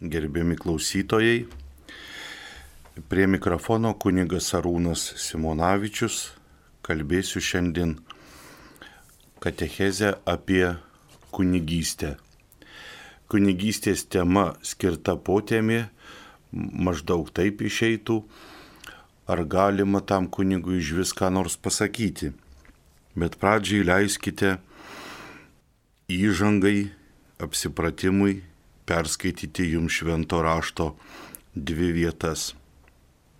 Gerbiami klausytojai, prie mikrofono kunigas Arūnas Simonavičius, kalbėsiu šiandien katechezę apie kunigystę. Kunigystės tema skirta potėmė, maždaug taip išeitų, ar galima tam kunigui iš viską nors pasakyti. Bet pradžiai leiskite įžangai, apsipratimui, perskaityti jums švento rašto 2 vietas.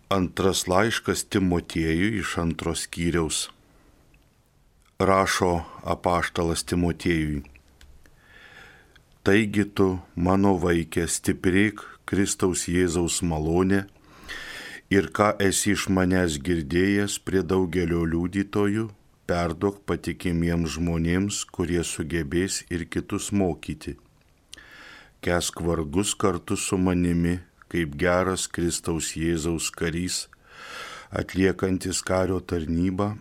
Antras laiškas Timotiejui iš 2 skyriaus. Rašo apaštalas Timotiejui. Taigi tu, mano vaike, stiprėk Kristaus Jėzaus malonė ir ką esi iš manęs girdėjęs prie daugelio liudytojų, perduok patikimiems žmonėms, kurie sugebės ir kitus mokyti. Kęsk vargus kartu su manimi, kaip geras Kristaus Jėzaus karys, atliekantis kario tarnybą,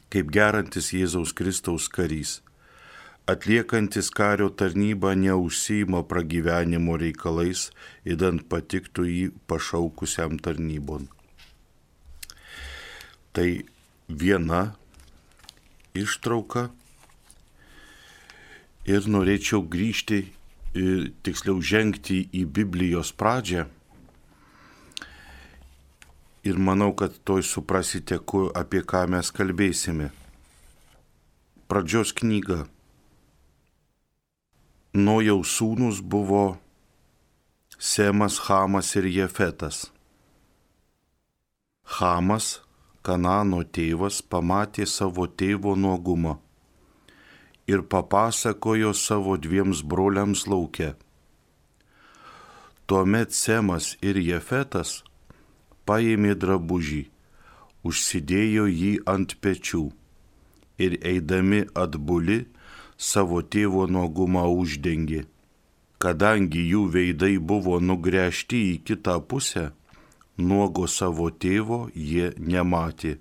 kaip gerantis Jėzaus Kristaus karys, atliekantis kario tarnybą neužsiima pragyvenimo reikalais, idant patiktų jį pašaukusiam tarnybon. Tai viena ištrauka ir norėčiau grįžti tiksliau žengti į Biblijos pradžią ir manau, kad toj suprasite, apie ką mes kalbėsime. Pradžios knyga. Nojaus sūnus buvo Semas, Hamas ir Jefetas. Hamas, Kanano tėvas, pamatė savo tėvo nuogumą ir papasakojo savo 2 broliams lauke. Tuomet Semas ir Jefetas paėmė drabužį, užsidėjo jį ant pečių ir eidami atbuli savo tėvo nuogumą uždengė. Kadangi jų veidai buvo nugręžti į kitą pusę, nuogo savo tėvo jie nematė.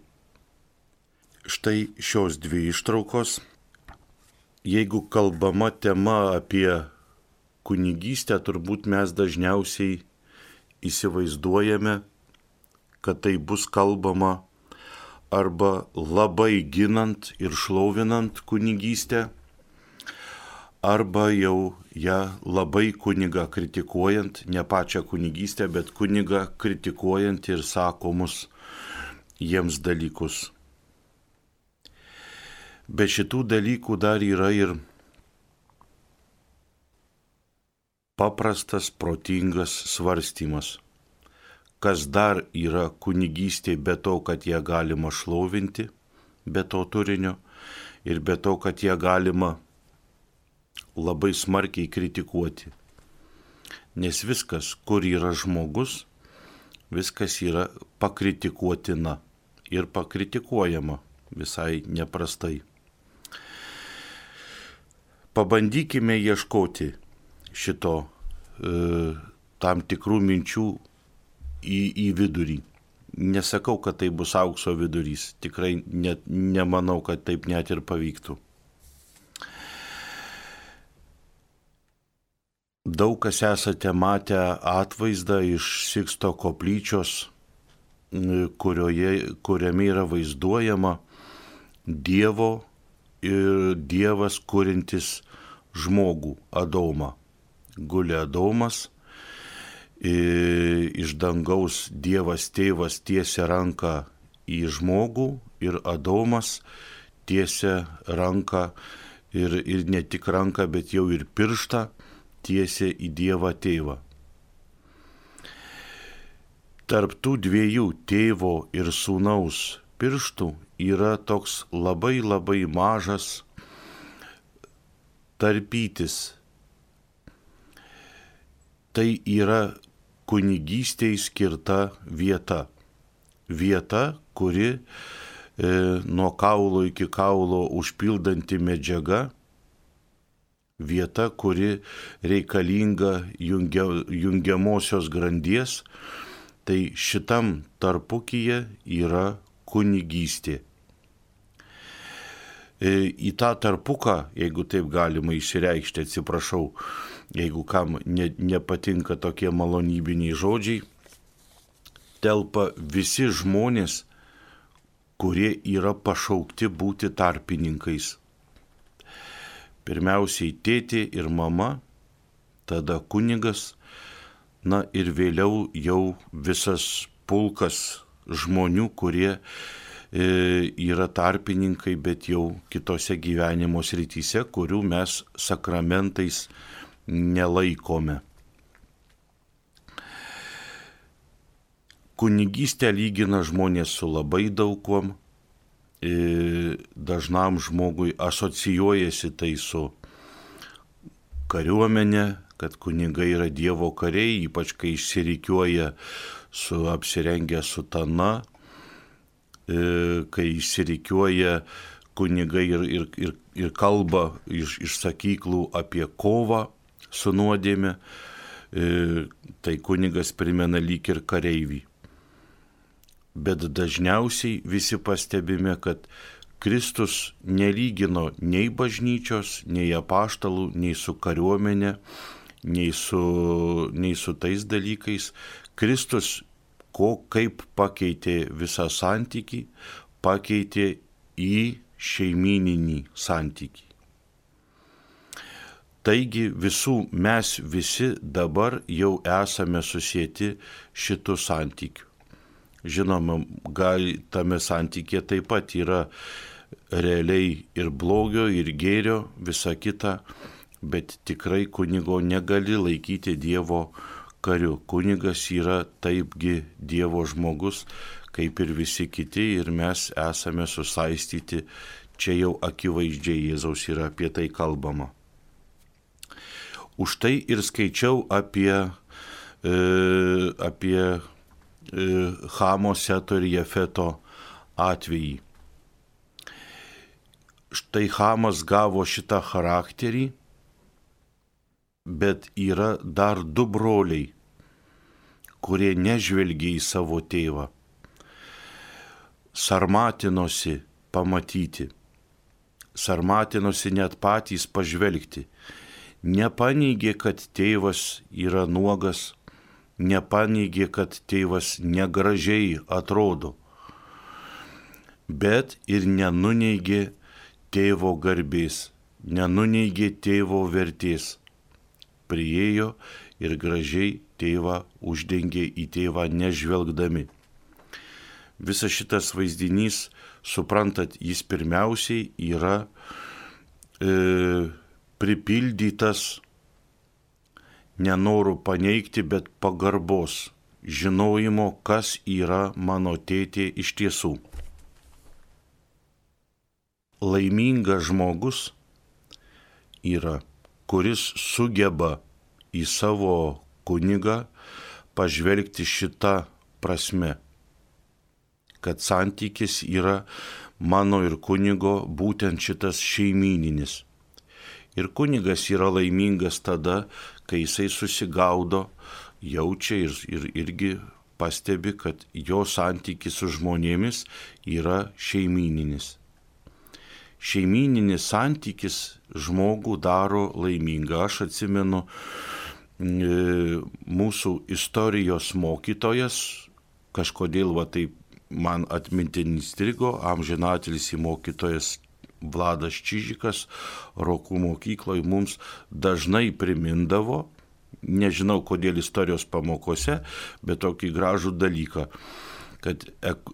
Štai šios 2 ištraukos. Jeigu kalbama tema apie kunigystę, turbūt mes dažniausiai įsivaizduojame, kad tai bus kalbama arba labai ginant ir šlovinant kunigystę, arba jau ją labai kunigą kritikuojant, ne pačią kunigystę, bet kunigą kritikuojant ir sakomus jiems dalykus. Be šitų dalykų dar yra ir paprastas, protingas svarstymas. Kas dar yra kunigystė be to, kad ją galima šlovinti, be to turinio, ir be to, kad ją galima labai smarkiai kritikuoti. Nes viskas, kur yra žmogus, viskas yra pakritikuotina ir pakritikuojama visai neprastai. Pabandykime ieškoti šito tam tikrų minčių į vidurį. Nesakau, kad tai bus aukso vidurys. Tikrai nemanau, kad taip net ir pavyktų. Daug kas esate matę atvaizdą iš Siksto koplyčios, kuriame yra vaizduojama Dievo ir Dievas kuriantis žmogų, Adomą. Guli Adomas, iš dangaus Dievas tėvas tiesia ranką į žmogų ir Adomas tiesia ranką ir ne tik ranką, bet jau ir pirštą tiesia į Dievą tėvą. Tarp tų 2 tėvo ir sūnaus pirštų yra toks labai labai mažas tarpytis. Tai yra kunigystei skirta vieta. Vieta, kuri nuo kaulo iki kaulo užpildanti medžiaga. Vieta, kuri reikalinga jungiamosios grandies. Tai šitam tarpukyje yra kunigystė. Į tą tarpuką, jeigu taip galima išsireikšti, atsiprašau, jeigu kam nepatinka tokie malonybiniai žodžiai, telpa visi žmonės, kurie yra pašaukti būti tarpininkais. Pirmiausiai tėtė ir mama, tada kunigas, na ir vėliau jau visas pulkas žmonių, kurie yra tarpininkai, bet jau kitose gyvenimo srityse, kurių mes sakramentais nelaikome. Kunigystę lygina žmonės su labai daug kuom. Dažnam žmogui asocijuojasi tai su kariuomenė, kad kunigai yra Dievo kariai, ypač kai išsirikiuoja apsirengę sutana, kai išsirikiuoja kunigai ir kalba iš sakyklų apie kovą su nuodėme, tai kunigas primena lyg ir kareivį. Bet dažniausiai visi pastebime, kad Kristus nelygino nei bažnyčios, nei apaštalų, nei su kariuomenė, nei su tais dalykais. Kristus kaip pakeitė visą santykį, pakeitė į šeimyninį santykį. Taigi mes visi dabar jau esame susieti šitų santykių. Žinoma, tame santykė taip pat yra realiai ir blogio, ir gėrio, visa kita, bet tikrai kunigo negali laikyti Dievo kariu. Kunigas yra taipgi Dievo žmogus, kaip ir visi kiti, ir mes esame susaistyti, čia jau akivaizdžiai Jėzaus yra apie tai kalbama. Už tai ir skaičiau apie Chamo, Seto ir Jefeto atvejį. Štai Chamas gavo šitą charakterį, bet yra dar du broliai, kurie nežvelgia į savo tėvą. Sarmatinosi pamatyti, sarmatinosi net patys pažvelgti. Nepaneigė, kad tėvas yra nuogas, nepaneigė, kad tėvas negražiai atrodo, bet ir nenuneigė tėvo garbės, nenuneigė tėvo vertės. Priėjo ir gražiai tėvą uždengė į tėvą nežvelgdami. Visas šitas vaizdinys, suprantat, jis pirmiausiai yra pripildytas nenorų paneigti, bet pagarbos, žinojimo, kas yra mano tėtė iš tiesų. Laimingas žmogus yra, kuris sugeba į savo kunigą pažvelgti šitą prasme, kad santykis yra mano ir kunigo būtent šitas šeimyninis. Ir kunigas yra laimingas tada, kai jisai susigaudo, jaučia ir irgi pastebi, kad jo santykis su žmonėmis yra šeimyninis. Šeimyninis santykis žmogų daro laimingą. Aš atsimenu mūsų istorijos mokytojas, kažkodėl taip man atmintin įstrigo, amžinatilsį mokytojas Vladas Čižikas Rokų mokykloje mums dažnai primindavo, nežinau kodėl istorijos pamokose, bet tokį gražų dalyką, kad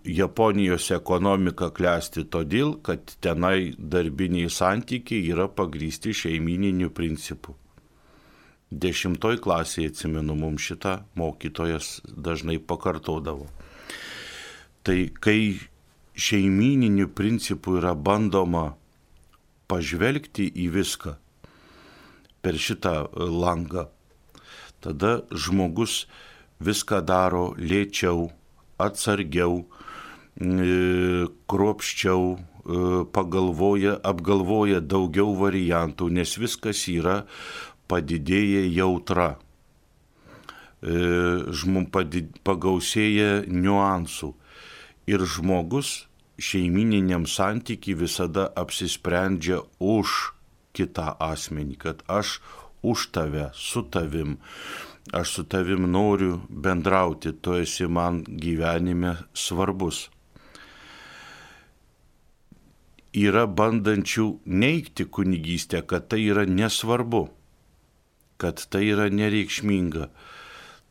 Japonijos ekonomika klesti todėl, kad tenai darbiniai santykiai yra pagrįsti šeimyniniu principu. 10 klasėje, atsimenu, mums šitą mokytojas dažnai pakartodavo. Tai kai šeimyniniu principu yra bandoma pažvelgti į viską per šitą langą, tada žmogus viską daro lėčiau, atsargiau, kruopščiau, apgalvoja daugiau variantų, nes viskas yra padidėję jautra, pagausėja niuansų. Ir žmogus šeimyniniam santykiui visada apsisprendžia už kitą asmenį, kad aš už tave, su tavim. Aš su tavim noriu bendrauti, tu esi man gyvenime svarbus. Yra bandančių neigti kunigystę, kad tai yra nesvarbu, kad tai yra nereikšminga.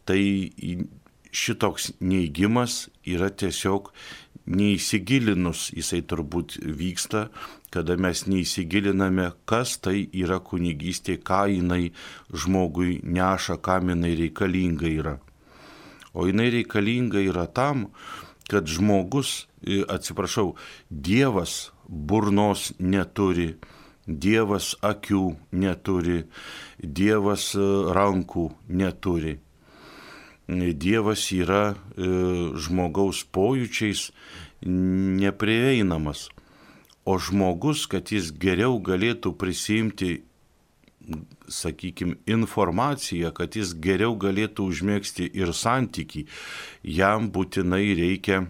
Tai šitoks neigimas yra tiesiog neįsigilinus, jisai turbūt vyksta, kada mes neįsigiliname, kas tai yra kunigystė, ką jinai žmogui neša, kam jinai reikalinga yra. O jinai reikalinga yra tam, kad žmogus, Dievas burnos neturi, Dievas akių neturi, Dievas rankų neturi. Dievas yra žmogaus pojūčiais neprieinamas. O žmogus, kad jis geriau galėtų prisimti, sakykime, informaciją, kad jis geriau galėtų užmėgsti ir santykį, jam būtinai reikia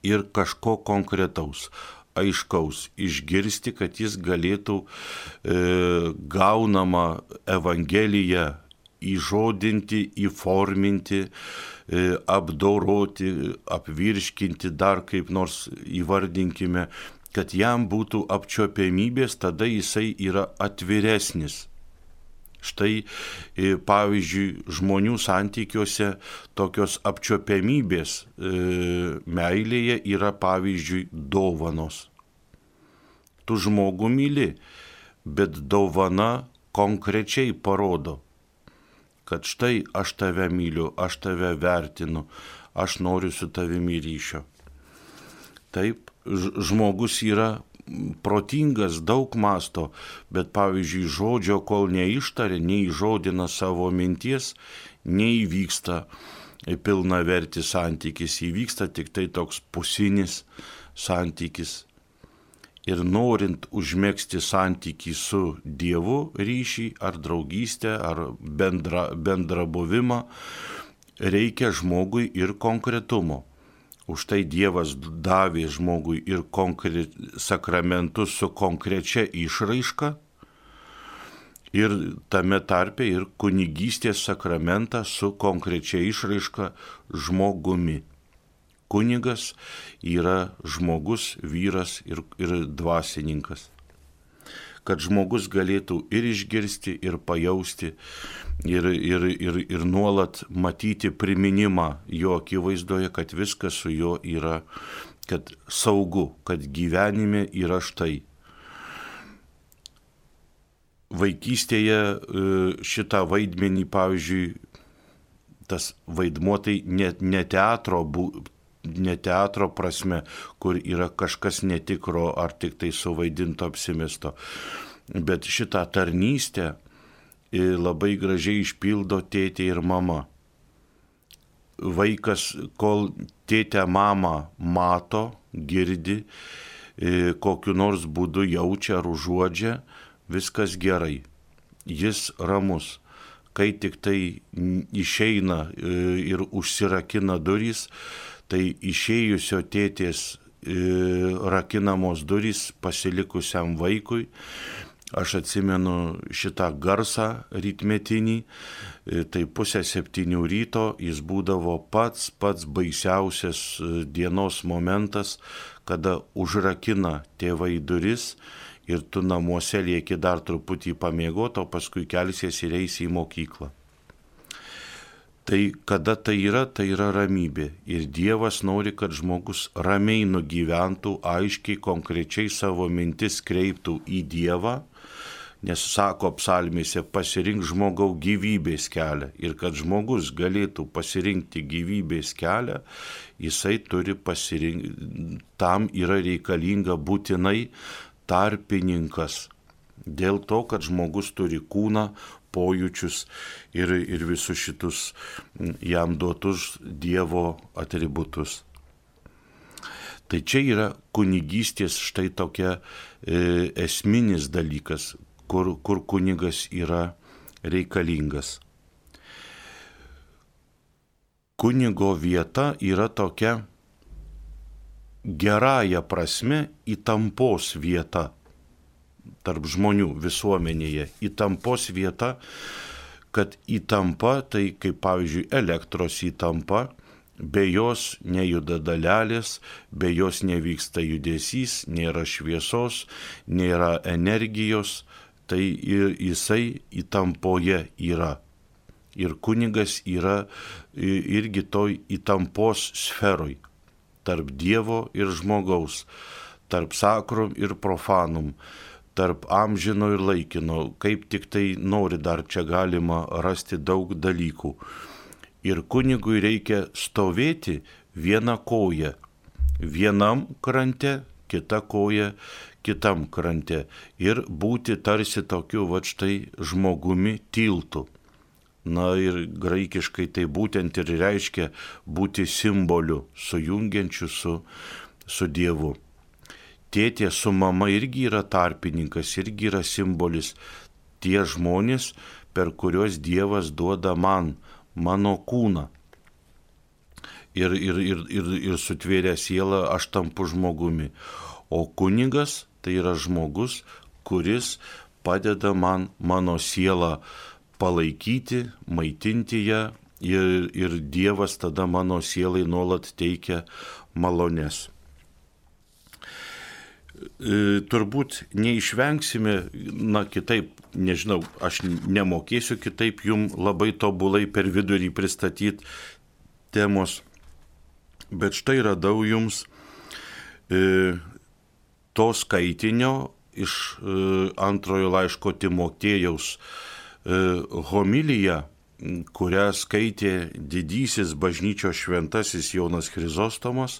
ir kažko konkretaus, aiškaus, išgirsti, kad jis galėtų gaunamą Evangeliją įžodinti, įforminti, apdoroti, apvirškinti, dar kaip nors įvardinkime, kad jam būtų apčiuopiamybės, tada jisai yra atviresnis. Štai, pavyzdžiui, žmonių santykiuose tokios apčiuopiamybės meilėje yra, pavyzdžiui, dovanos. Tu žmogų myli, bet dovana konkrečiai parodo, kad štai aš tave myliu, aš tave vertinu, aš noriu su tavimi ryšio. Taip, žmogus yra protingas, daug masto, bet pavyzdžiui žodžio, kol neištaria, neįžodina savo minties, neįvyksta pilnavertis santykis, įvyksta tik tai toks pusinis santykis. Ir norint užmegzti santykį su Dievu, ryšį ar draugystę, ar bendrą buvimą, reikia žmogui ir konkretumo. Už tai Dievas davė žmogui ir sakramentus su konkrečia išraiška ir tame tarpe ir kunigystės sakramentą su konkrečia išraiška žmogumi. Kunigas yra žmogus, vyras ir dvasininkas. Kad žmogus galėtų ir išgirsti, ir pajausti, ir nuolat matyti priminimą jo akivaizdoje, kad viskas su juo yra, kad saugu, kad gyvenime yra štai. Vaikystėje šitą vaidmenį, pavyzdžiui, tas vaidmuo tai ne teatro prasme, kur yra kažkas netikro ar tik tai suvaidinto apsimesto, bet šitą tarnystę labai gražiai išpildo tėtė ir mama. Vaikas, kol tėtę mamą mato, girdi, kokiu nors būdu jaučia ar užuodžia, viskas gerai, jis ramus. Kai tik tai išeina ir užsirakina durys, tai išėjusio tėtės rakinamos durys pasilikusiam vaikui. Aš atsimenu šitą garsą rytmetinį, tai 6:30 ryto jis būdavo pats baisiausias dienos momentas, kada užrakina tėvai duris ir tu namuose lieki dar truputį pamiegoti, o paskui kelsies ir eisi į mokyklą. Tai kada tai yra ramybė. Ir Dievas nori, kad žmogus ramiai nugyventų, aiškiai, konkrečiai savo mintis kreiptų į Dievą, nes sako psalmėse, pasirink žmogau gyvybės kelią. Ir kad žmogus galėtų pasirinkti gyvybės kelią, jisai turi pasirinkti, tam yra reikalinga būtinai tarpininkas. Dėl to, kad žmogus turi kūną, pojūčius ir visus šitus jam duotus Dievo atributus. Tai čia yra kunigystės štai tokia esminis dalykas, kur kunigas yra reikalingas. Kunigo vieta yra tokia gerąja prasme įtampos vieta. tarp žmonių visuomenėje. Įtampos vieta, kad įtampa, tai kaip pavyzdžiui elektros įtampa, be jos nejuda dalelės, be jos nevyksta judesys, nėra šviesos, nėra energijos, tai ir jisai įtampoje yra. Ir kunigas yra irgi toj įtampos sferoj, tarp Dievo ir žmogaus, tarp sakrum ir profanum, tarp amžino ir laikino, kaip tik tai nori, dar čia galima rasti daug dalykų. Ir kunigui reikia stovėti vieną koją, vienam krante, kita koja kitam krante ir būti tarsi tokiu va štai žmogumi tiltu. Na ir graikiškai tai būtent ir reiškia būti simboliu, sujungiančiu su Dievu. Tėtė su mama irgi yra tarpininkas, irgi yra simbolis. Tie žmonės, per kuriuos Dievas duoda man, mano kūną. Ir sutvėrę sielą aš tampu žmogumi. O kunigas tai yra žmogus, kuris padeda man mano sielą palaikyti, maitinti ją ir Dievas tada mano sielai nuolat teikia malones. Turbūt neišvengsime, kitaip, nežinau, aš nemokėsiu kitaip jum labai tobulai per vidurį pristatyti temos, bet štai radau jums to skaitinio iš antrojo laiško Timotiejaus homiliją, kurią skaitė didysis bažnyčios šventasis Jonas Chrizostomas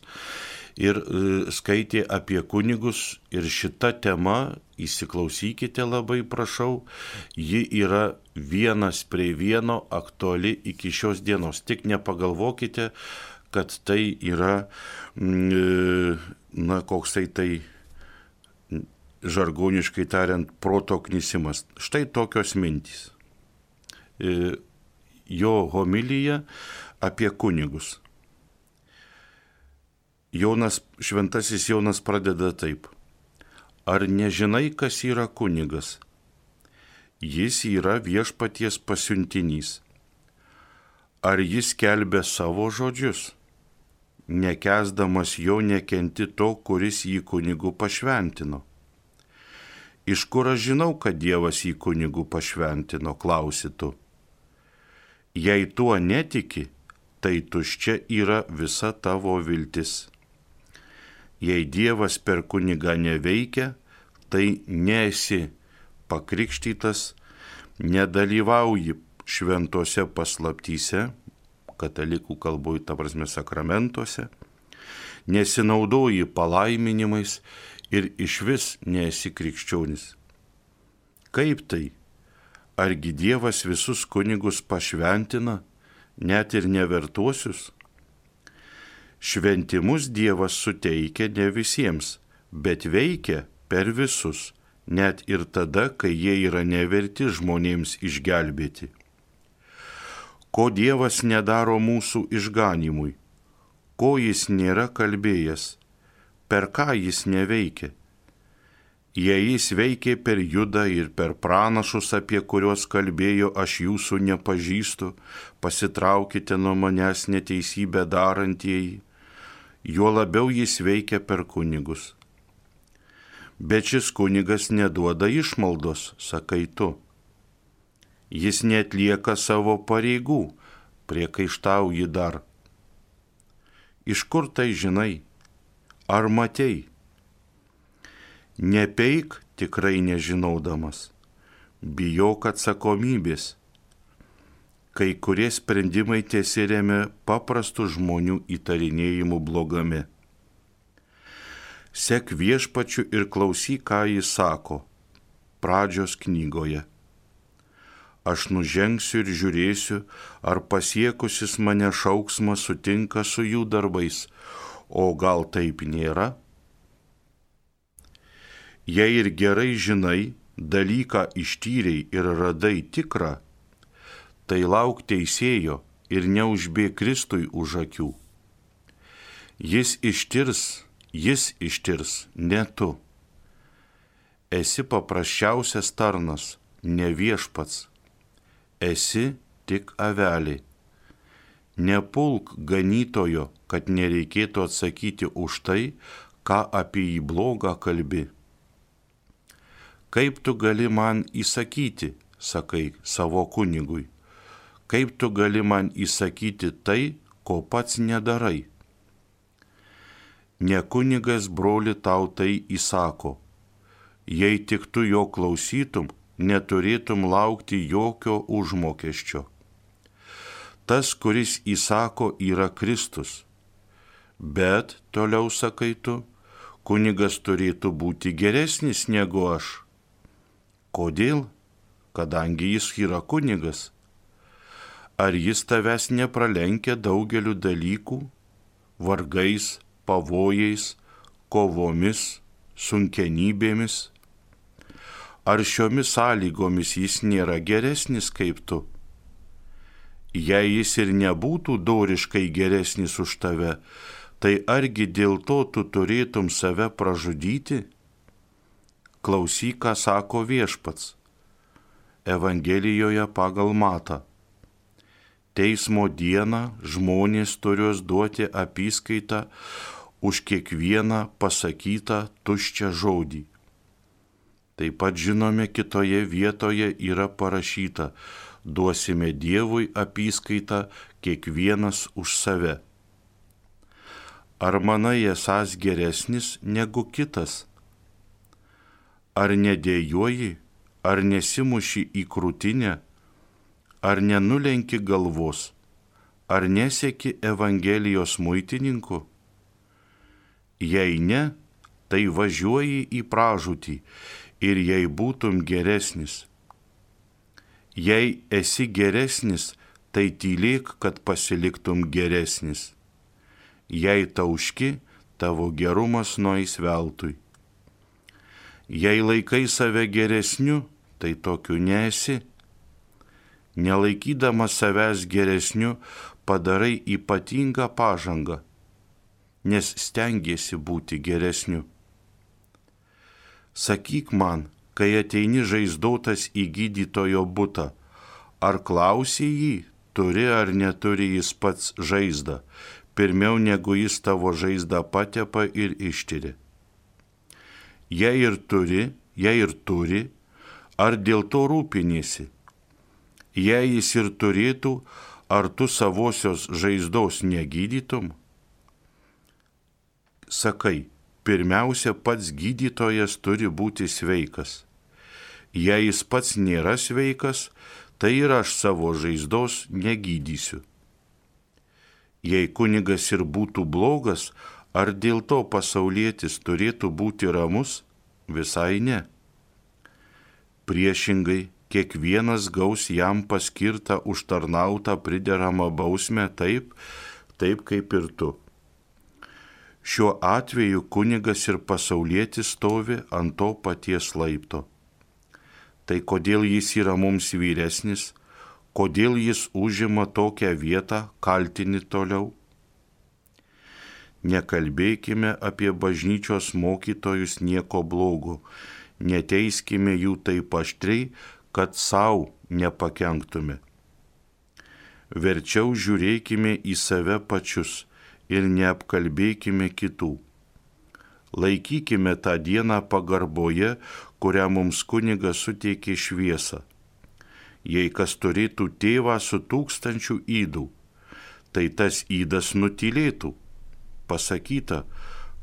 ir skaitė apie kunigus ir šita tema, įsiklausykite labai prašau, ji yra vienas prie vieno aktuali iki šios dienos. Tik nepagalvokite, kad tai yra, koksai tai žargoniškai tariant, proto knisimas. Štai tokios mintys. Jo homilija apie kunigus. Šventasis Jonas pradeda taip. Ar nežinai, kas yra kunigas? Jis yra viešpaties pasiuntinys. Ar jis skelbia savo žodžius? Nekęsdamas jo nekenti to, kuris jį kunigu pašventino. Iš kur aš žinau, kad Dievas jį kunigu pašventino, klausi tu. Jei tuo netiki, tai tuščia yra visa tavo viltis. Jei Dievas per kunigą neveikia, tai nesi pakrikštytas, nedalyvauji šventose paslaptyse, katalikų kalboj, ta prasme sakramentuose, nesinaudoji palaiminimais ir išvis nesi krikščionis. Kaip tai? Argi Dievas visus kunigus pašventina, net ir nevertuosius? Šventimus Dievas suteikia ne visiems, bet veikia per visus, net ir tada, kai jie yra neverti žmonėms išgelbėti. Ko Dievas nedaro mūsų išganimui? Ko jis nėra kalbėjęs? Per ką jis neveikia? Jei jis veikė per Judą ir per pranašus, apie kuriuos kalbėjo, aš jūsų nepažįstu, pasitraukite nuo manęs neteisybę darantieji, juo labiau jis veikia per kunigus. Bet šis kunigas neduoda išmaldos, sakai tu. Jis neatlieka savo pareigų, priekaištauji dar. Iš kur tai žinai? Ar matei? Nepeik tikrai nežinaudamas, bijok atsakomybės. Kai kurie sprendimai tiesiremia paprastų žmonių įtarinėjimų blogame. Sek viešpačiu ir klausyk, ką jis sako, pradžios knygoje. Aš nužengsiu ir žiūrėsiu, ar pasiekusis mane šauksmas sutinka su jų darbais, o gal taip nėra? Jei ir gerai žinai, dalyką ištyrei ir radai tikrą, tai lauk teisėjo ir neužbėk Kristui už akių. Jis ištirs, ne tu. esi paprasčiausias tarnas, ne viešpats, esi tik avelė. Nepulk ganytojo, kad nereikėtų atsakyti už tai, ką apie jį blogą kalbi. Kaip tu gali man įsakyti, sakai savo kunigui, kaip tu gali man įsakyti tai, ko pats nedarai. Ne kunigas broli tau tai įsako, jei tik tu jo klausytum, neturėtum laukti jokio užmokesčio. Tas, kuris įsako, yra Kristus. Bet, toliau sakai tu, kunigas turėtų būti geresnis negu aš. Kodėl? Kadangi jis yra kunigas. Ar jis tavęs nepralenkia daugeliu dalykų, vargais, pavojais, kovomis, sunkenybėmis? Ar šiomis sąlygomis jis nėra geresnis kaip tu? Jei jis ir nebūtų doriškai geresnis už tave, tai argi dėl to tu turėtum save pražudyti? Klausyk, ką sako viešpats Evangelijoje pagal Matą. Teismo dieną žmonės turės duoti apyskaitą už kiekvieną pasakytą tuščią žodį. Taip pat žinome, kitoje vietoje yra parašyta: duosime Dievui apyskaitą kiekvienas už save. Ar manai esąs geresnis negu kitas? Ar nedėjoji, ar nesimuši į krūtinę, ar nenulenki galvos, ar nesieki Evangelijos muitininku? Jei ne, tai važiuoji į pražūtį ir jei būtum geresnis. Jei esi geresnis, tai tylėk, kad pasiliktum geresnis. Jei tauški, tavo gerumas nueis veltui. Jei laikai save geresniu, tai tokiu nesi. Nelaikydamas savęs geresniu, padarai ypatingą pažangą, nes stengiesi būti geresniu. Sakyk man, kai ateini žaizdotas į gydytojo butą, ar klausi jį, turi ar neturi jis pats žaizdą, pirmiau negu jis tavo žaizdą patepa ir ištiria. Jei ir turi, ar dėl to rūpiniesi? Jei jis ir turėtų, ar tu savosios žaizdos negydytum? Sakai, pirmiausia, pats gydytojas turi būti sveikas. Jei jis pats nėra sveikas, tai ir aš savo žaizdos negydysiu. Jei kunigas ir būtų blogas, ar dėl to pasaulietis turėtų būti ramus? Visai ne. Priešingai, kiekvienas gaus jam paskirtą užtarnautą prideramą bausmę taip kaip ir tu. Šiuo atveju kunigas ir pasaulietis stovi ant to paties laipto. Tai kodėl jis yra mums vyresnis, kodėl jis užima tokią vietą, kaltini toliau? Nekalbėkime apie bažnyčios mokytojus nieko blogo, neteiskime jų taip aštriai, kad savo nepakenktume. Verčiau žiūrėkime į save pačius ir neapkalbėkime kitų. Laikykime tą dieną pagarboje, kurią mums kunigas suteikė šviesą. Jei kas turėtų tėvą su 1000 ydų, tai tas ydas nutylėtų. Pasakyta,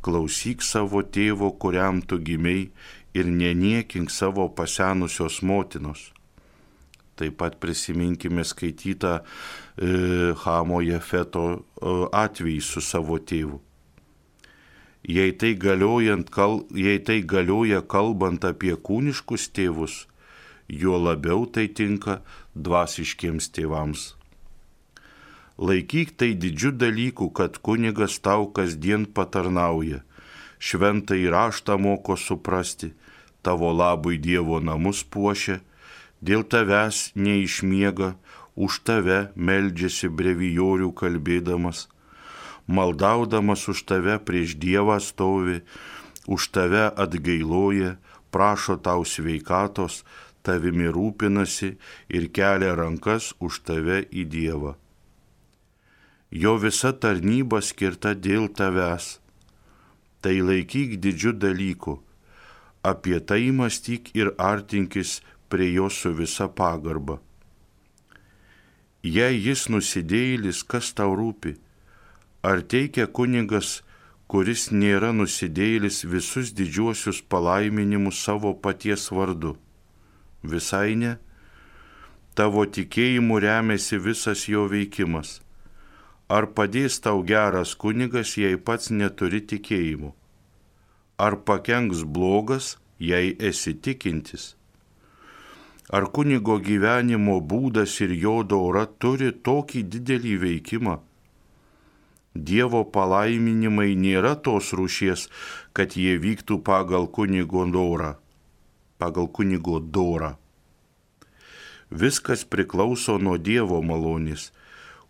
klausyk savo tėvo, kuriam tu gimei, ir neniekink savo pasenusios motinos. Taip pat prisiminkime skaitytą Chamo Jefeto atvejį su savo tėvu. Jei tai galioja kalbant apie kūniškus tėvus, juo labiau tai tinka dvasiškiems tėvams. Laikyk tai didžiu dalyku, kad kunigas tau kasdien patarnauja, šventąjį raštą moko suprasti, tavo labui Dievo namus puošia, dėl tavęs neišmiega, už tave meldžiasi brevijorių kalbėdamas, maldaudamas už tave prieš Dievą stovi, už tave atgailoja, prašo tau sveikatos, tavimi rūpinasi ir kelia rankas už tave į Dievą. Jo visa tarnyba skirta dėl tavęs. Tai laikyk didžiu dalyku, apie tai mąstyk ir artinkis prie jo su visa pagarba. Jei jis nusidėjėlis, kas tau rūpi? Ar teikia kunigas, kuris nėra nusidėjėlis, visus didžiuosius palaiminimus savo paties vardu? Visai ne. Tavo tikėjimu remiasi visas jo veikimas. Ar padės tau geras kunigas, jei pats neturi tikėjimo? Ar pakenks blogas, jei esi tikintis? Ar kunigo gyvenimo būdas ir jo dora turi tokį didelį veikimą? Dievo palaiminimai nėra tos rūšies, kad jie vyktų pagal kunigo dorą. Viskas priklauso nuo Dievo malonės.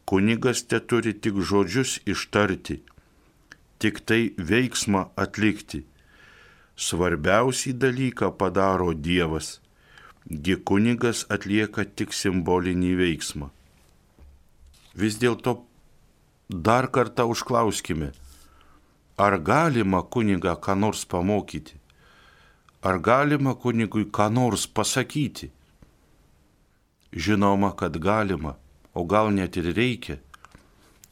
Kunigas teturi tik žodžius ištarti, tik tai veiksmą atlikti. Svarbiausią dalyką padaro Dievas, gi kunigas atlieka tik simbolinį veiksmą. Vis dėlto dar kartą užklauskime, ar galima kunigą ką nors pamokyti? Ar galima kunigui ką nors pasakyti? Žinoma, kad galima. O gal net ir reikia?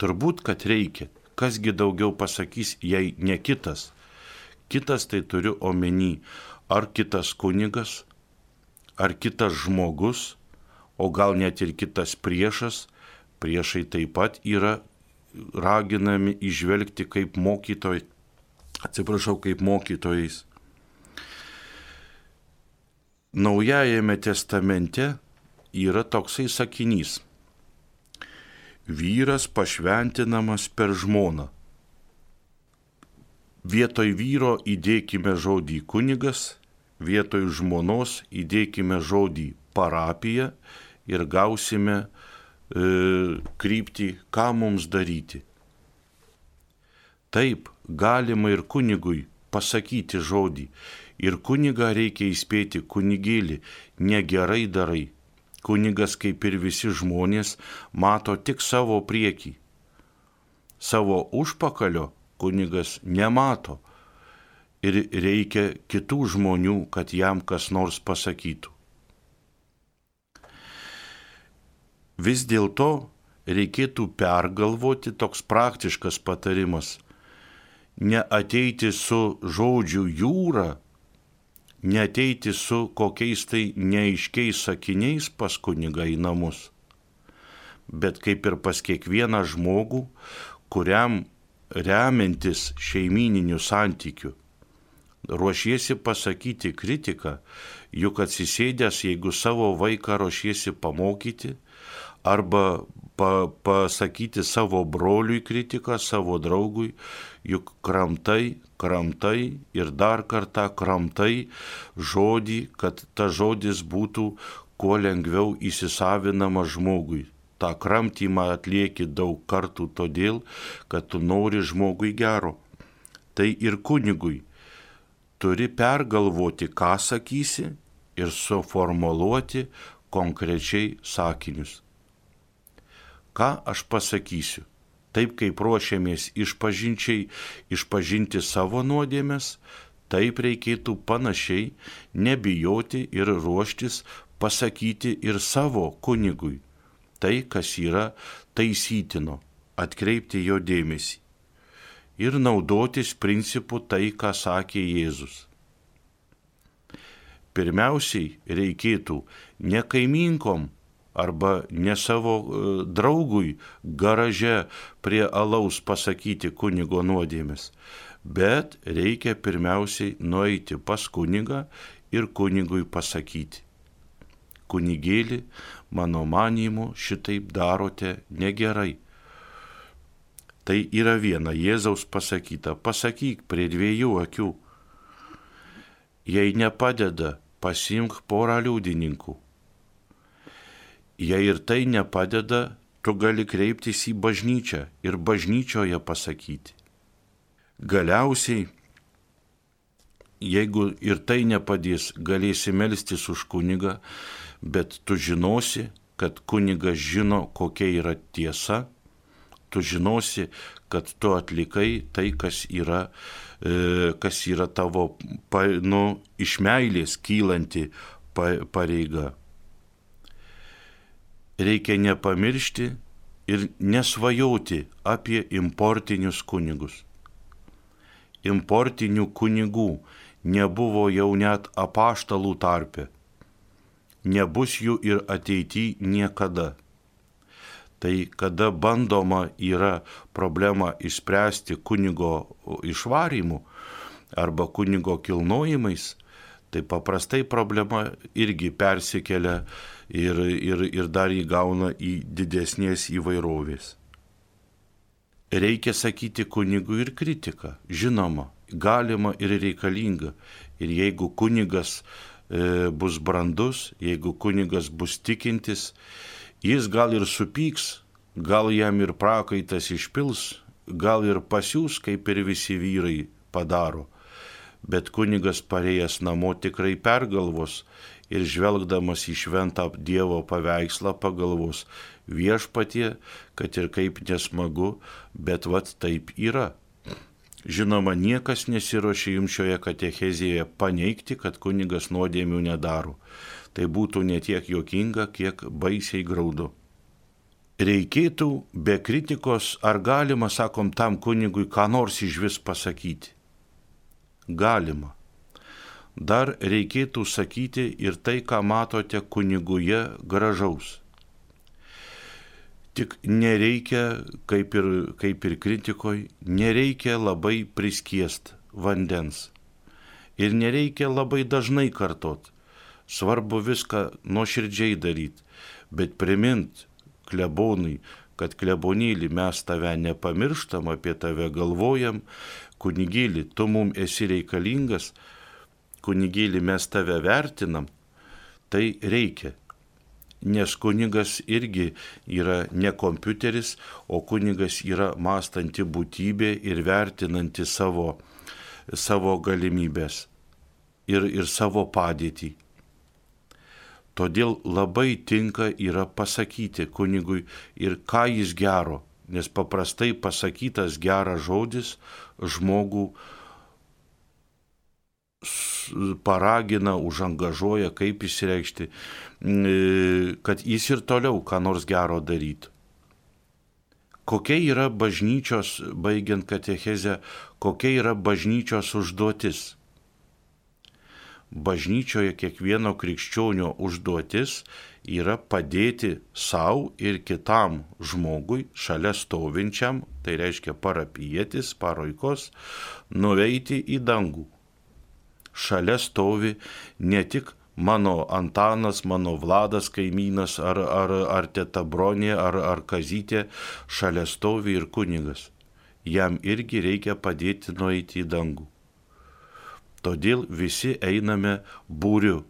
Turbūt, kad reikia. Kasgi daugiau pasakys, jei ne kitas? Kitas tai turiu omeny, ar kitas kunigas, ar kitas žmogus, o gal net ir kitas priešas. Priešai taip pat yra raginami įžvelgti kaip mokytojais. Naujajame testamente yra toksai sakinys. Vyras pašventinamas per žmoną. Vietoj vyro įdėkime žodį kunigas, vietoj žmonos įdėkime žodį parapija ir gausime kryptį, ką mums daryti. Taip, galima ir kunigui pasakyti žodį. Ir kunigą reikia įspėti, kunigėlį, negerai darai. Kunigas, kaip ir visi žmonės, mato tik savo priekį. Savo užpakalio kunigas nemato ir reikia kitų žmonių, kad jam kas nors pasakytų. Vis dėlto reikėtų pergalvoti toks praktiškas patarimas. Neateiti su žodžių jūra, neateiti su kokiais tai neaiškiais sakiniais pas kunigą į namus, bet kaip ir pas kiekvieną žmogų, kuriam remiantis šeimyniniu santykiu, ruošiesi pasakyti kritiką, juk atsisėdęs, jeigu savo vaiką ruošiesi pamokyti, arba pasakyti savo broliui kritiką, savo draugui, juk kramtai ir dar kartą kramtai žodį, kad ta žodis būtų kuo lengviau įsisavinama žmogui. Ta kramtymą atlieki daug kartų todėl, kad tu nori žmogui gero. Tai ir kunigui turi pergalvoti, ką sakysi ir suformuluoti konkrečiai sakinius. Ką aš pasakysiu? Taip kaip ruošiamės išpažinti savo nuodėmes, taip reikėtų panašiai nebijoti ir ruoštis pasakyti ir savo kunigui. Tai, kas yra taisytino, atkreipti jo dėmesį. Ir naudotis principu tai, ką sakė Jėzus. Pirmiausiai reikėtų ne kaimynkom arba ne savo draugui garaže prie alaus pasakyti kunigo nuodėmes, bet reikia pirmiausiai nueiti pas kunigą ir kunigui pasakyti. Kunigėli, mano manymu, šitaip darote negerai. Tai yra viena Jėzaus pasakyta, pasakyk prie dviejų akių. Jei nepadeda, pasiimk porą liudininkų. Jei ir tai nepadeda, tu gali kreiptis į bažnyčią ir bažnyčioje pasakyti. Galiausiai, jeigu ir tai nepadės, galėsi melstis už kunigą, bet tu žinosi, kad kunigas žino, kokia yra tiesa, tu žinosi, kad tu atlikai tai, kas yra tavo iš meilės kylanti pareiga. Reikia nepamiršti ir nesvajoti apie importinius kunigus. Importinių kunigų nebuvo jau net apaštalų tarpe. Nebus jų ir ateityje niekada. Tai kada bandoma yra problemą išspręsti kunigo išvarymu arba kunigo kilnojimais, tai paprastai problema irgi persikelia ir dar įgauna į didesnės įvairovės. Reikia sakyti kunigui ir kritiką. Žinoma, galima ir reikalinga. Ir jeigu kunigas bus brandus, jeigu kunigas bus tikintis, jis gal ir supyks, gal jam ir prakaitas išpils, gal ir pasiūs, kaip ir visi vyrai padaro. Bet kunigas parėjęs namo tikrai pergalvos ir žvelgdamas į šventą Dievo paveikslą pagalvos: Viešpatie, kad ir kaip nesmagu, bet vat taip yra. Žinoma, niekas nesiruošia jums šioje katechezėje paneigti, kad kunigas nuodėmių nedaro. Tai būtų ne tiek juokinga, kiek baisiai graudu. Reikėtų be kritikos, ar galima, sakom, tam kunigui ką nors išvis pasakyti? Galima. Dar reikėtų sakyti ir tai, ką matote kuniguje gražaus. Tik nereikia, kaip ir kritikoje, nereikia labai priskiest vandens. Ir nereikia labai dažnai kartot. Svarbu viską nuoširdžiai daryti, bet primint klebonui, kad klebonėlį mes tave nepamirštam, apie tave galvojam, kunigėlį, tu mums esi reikalingas, kunigėlį mes tave vertinam, tai reikia. Nes kunigas irgi yra ne kompiuteris, o kunigas yra mąstanti būtybė ir vertinanti savo galimybės ir savo padėtį. Todėl labai tinka yra pasakyti kunigui ir ką jis gero, nes paprastai pasakytas geras žodis žmogų paragina, užangažuoja, kaip išreikšti, kad jis ir toliau ką nors gero darytų. Kokia yra bažnyčios, baigiant katechezę, kokia yra bažnyčios užduotis? Bažnyčioje kiekvieno krikščionio užduotis yra padėti savo ir kitam žmogui, šalia stovinčiam, tai reiškia parapijietis, paroikos, nueiti į dangų. Šalia stovi ne tik mano Antanas, mano Vladas kaimynas, ar teta Bronė, ar Kazytė, šalia stovi ir kunigas. Jam irgi reikia padėti nueiti į dangų. Todėl visi einame būriu.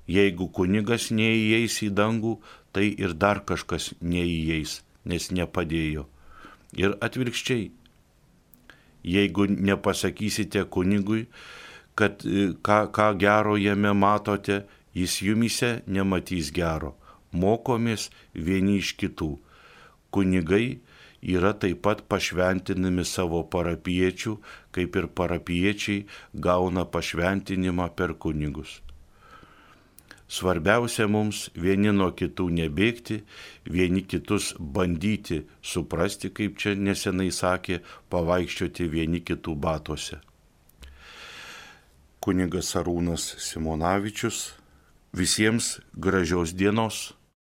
Jeigu kunigas neįeis į dangų, tai ir dar kažkas neįeis, nes nepadėjo. Ir atvirkščiai, jeigu nepasakysite kunigui, kad ką gero jame matote, jis jumise nematys gero. Mokomės vieni iš kitų. Kunigai yra taip pat pašventinami savo parapiečių, kaip ir parapiečiai gauna pašventinimą per kunigus. Svarbiausia mums vieni nuo kitų nebėgti, vieni kitus bandyti suprasti, kaip čia nesenai sakė, pavaikščioti vieni kitų batuose. Kunigas Arūnas Simonavičius. Visiems gražios dienos.